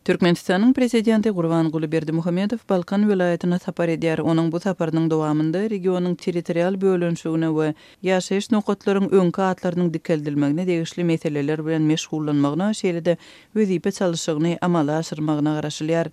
Türkmenistanyň Prezidenti Gurbanguly Berdimuhamedow Balkan welaýatyna sapar edýär. Onuň bu saparynyň dowamynda regionyň territorial bölünişigine we ýaşaýyş nokatlaryň öňki atlarynyň dikeldilmegine degişli meseleler bilen meşgullanmagyna, şeýle-de wezipe çalşygyny amala aşyrmagyna garaşylýar.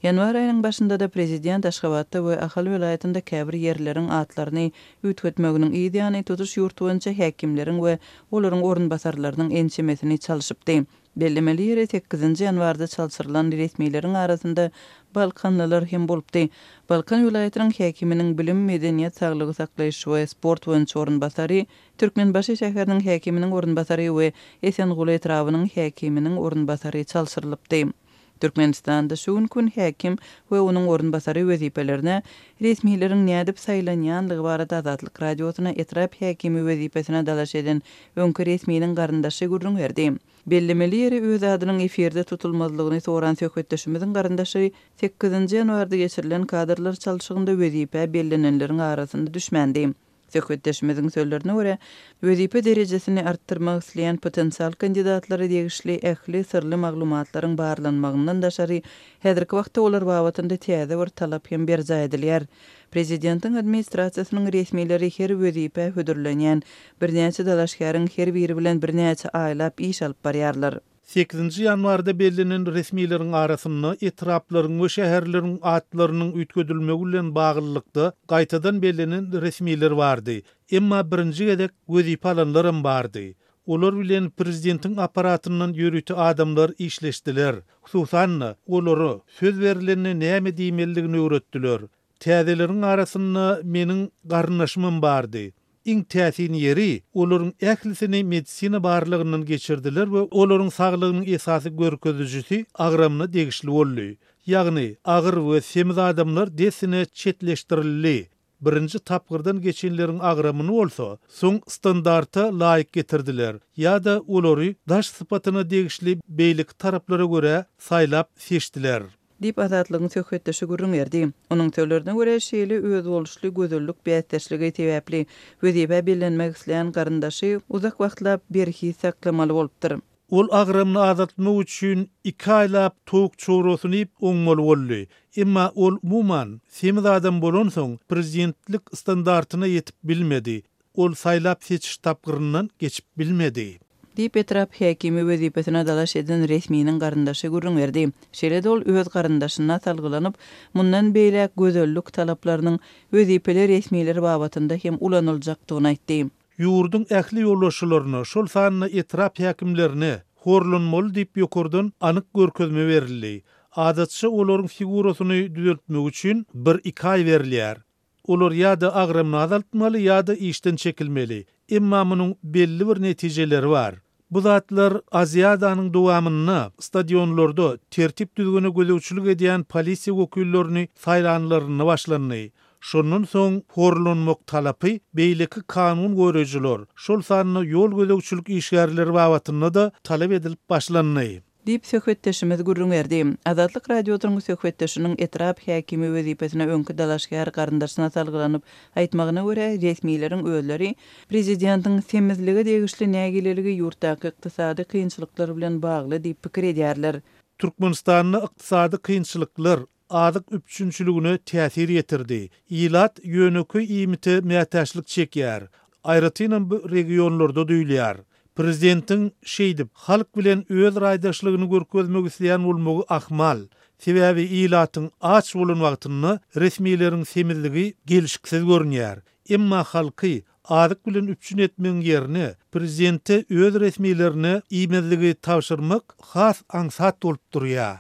Ýanwar aýynyň başynda-da prezident Aşgabatda we Ahal welaýatynda käbir ýerleriň atlaryny üýtgetmeginiň yz ýany tutuş ýurt boýunça häkimleriň we olaryň orunbasarlarynyň ençemesini çalşypdy. Bellemeli ýeri, sekizinji ýanwarda çalşyrylan resmileriň arasynda balkanlylar hem bolupdy. Balkan welaýatynyň häkiminiň bilim, medeniýet, saglygy saklaýyş we sport boýunça orunbasary, Türkmenbaşy şäheriniň häkiminiň orunbasary we Esenguly etrabynyň häkiminiň orunbasary çalşyrylypdy. Türkmenistanda şu günki gün häkim we onuň orunbasary wezipelerine resmileriň nädip saýlanýanlygy barada Azatlyk Radiosyna etrap häkimi wezipesine dalaş eden öňki resminiň garyndaşy gürrüň berdi. Bellemeli ýeri, öz adynyň efirde tutulmazlygyny soran söhbetdeşimiziň garyndaşy sekizinji ýanwarda geçirilen kadrlar çalşygynda wezipä bellenenleriň arasynda düşmändi. Söhbetdeşimiziň sözlerine görä, wezipe derejesini artdyrmak isleýän potensial kandidatlara degişli ähli syrly maglumatlaryň barlanmagyndan daşary, häzirki wagtda olar babatynda täze bir talap hem berjaý edilýär. Prezidentiň administrasiýasynyň resmileri her wezipä hödürlenýän birnäçe dalaşgäriň her biri bilen birnäçe aýlap iş alyp barýarlar. Sekizinji ýanwarda bellenen resmileriň arasynda etraplaryň we şäherleriň atlarynyň üýtgedilmegi bilen baglylykda gaýtadan bellenen resmiler bardy. Emma birinji gezek wezipe alanlaram bardy. Olar bilen prezidentiň apparatyndan ýörite adamlar işleşdiler. Hususan-da, olara söz berlende näme diýmelidigini öwretdiler. Täzeleriň arasynda meniň garyndaşymam bardy. Iň täsin ýeri, olaryň ählisini medisina barlagyndan geçirdiler we olaryň saglygynyň esasy görkezijisi agramyna degişli boldy. Ýagny, agyr we semiz adamlar dessine çetleşdirildi. Birinji tapgyrdan geçenleriň agramyny bolsa, soň standarta laýyk getirdiler ýa-da olary daş sypatyna degişli beýleki taraplara görä saýlap seçdiler. Diýip, Azatlygyň söhbetdeşi gürrüň berdi. Onuň sözlerine görä, şeýle özboluşly gözellik bäsdeşligi sebäpli, wezipä bellenmek islän garyndaşy uzak wagtlap berhiz saklamaly bolupdyr. Ol agramyny azaltmak üçin iki aýlap towuk çobrasyny iýip oňmaly boldy. Emma ol, umuman, semiz adam bolansoň, prezidentlik standartyna ýetip bilmedi. Ol saýlap-seçiş tapgyryndan geçip bilmedi. Diýip, etrap häkimi wezipesine dalaş eden resminiň garyndaşy gürrüň berdi. Şeýle-de ol öz garyndaşyna salgylanyp, mundan beýläk gözellik talaplarynyň wezipeli resmiler babatynda hem ulanyljakdygyny aýtdy. Ýurduň ähli ýolbaşçylaryna, şol sanda etrap häkimlerine horlanmaly diýip ýokardan anyk görkezme berildi. Adatça olaryň figurasyny düzeltmek üçin bir-iki aý berilýär. Olar ýa-da agramyny azaltmaly ýa-da işden çekilmeli. Emma munuň belli bir netijeleri bar. Bu zatlar Aziadanyň dowamynda stadionlarda tertip-düzgüne gözegçilik edýän polisiýa wekillerini saýlanlarynda başlandy. Şondan soň horlanmak talapy beýleki kanun goraýjylar, şol sanda ýol gözegçilik işgärleri babatynda-da talap edilip başlandy. Diýip, söhbetdeşimiz gürrüň berdi. Azatlyk Radiosynyň söhbetdeşiniň etrap häkimi wezipesine öňki dalaşgär garyndaşyna salgylanyp aýtmagyna görä, resmileriň özleri prezidentiň semizlige degişli nägileligi ýurtdaky ykdysady kynçylyklar bilen bagly diýip pikir edýärler. Türkmenistanda ykdysady kynçylyklar azyk üpjünçiligine täsir ýetirdi. Ilat ýönekeý iýmite mätäçlik çekýär. Aýratynam bu regionlarda duýulýar. Prezidentiň şeýdip, halk bilen öz raýdaşlygyny görkezmek isleýän bolmagy ahmal. Sebäbi ilatyň aç bolan wagtynda resmileriň semizligi gelşiksiz görünýär. Emma halky azyk bilen üpjün etmegiň ýerine, prezidente öz resmilerine iýmezligi tabşyrmak has aňsat bolup durýar.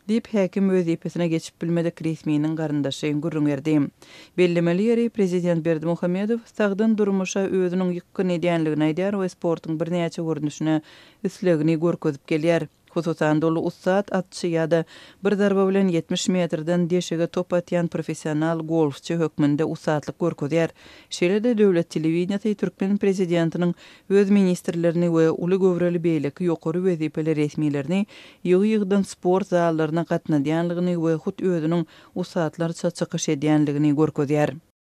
Diýip, häkim wezipesine geçip bilmedik resminiň garyndaşy gürrüň berdi. Bellemeli ýeri, prezident Berdimuhamedow sagdyn durmuşa özüniň ýykgyn edýänligini aýdýar we sportuň birnäçe görnüşine islegini görkezip gelýär. Hususan-da, ol ussat atçy ýa-da bir zarba bilen 70 metrden deşige top atýan professional golfçy hökmünde ussatlyk görkezýär. Şeýle-de, döwlet telewideniýesi türkmen prezidentiniň öz ministrlerini we uly göwreli beýleki ýokary wezipeli resmilerini ýygy-ýygydan sport zallaryna gatnadýanlygyny we hut özüniň ussatlarça çykyş edýänligini görkezýär.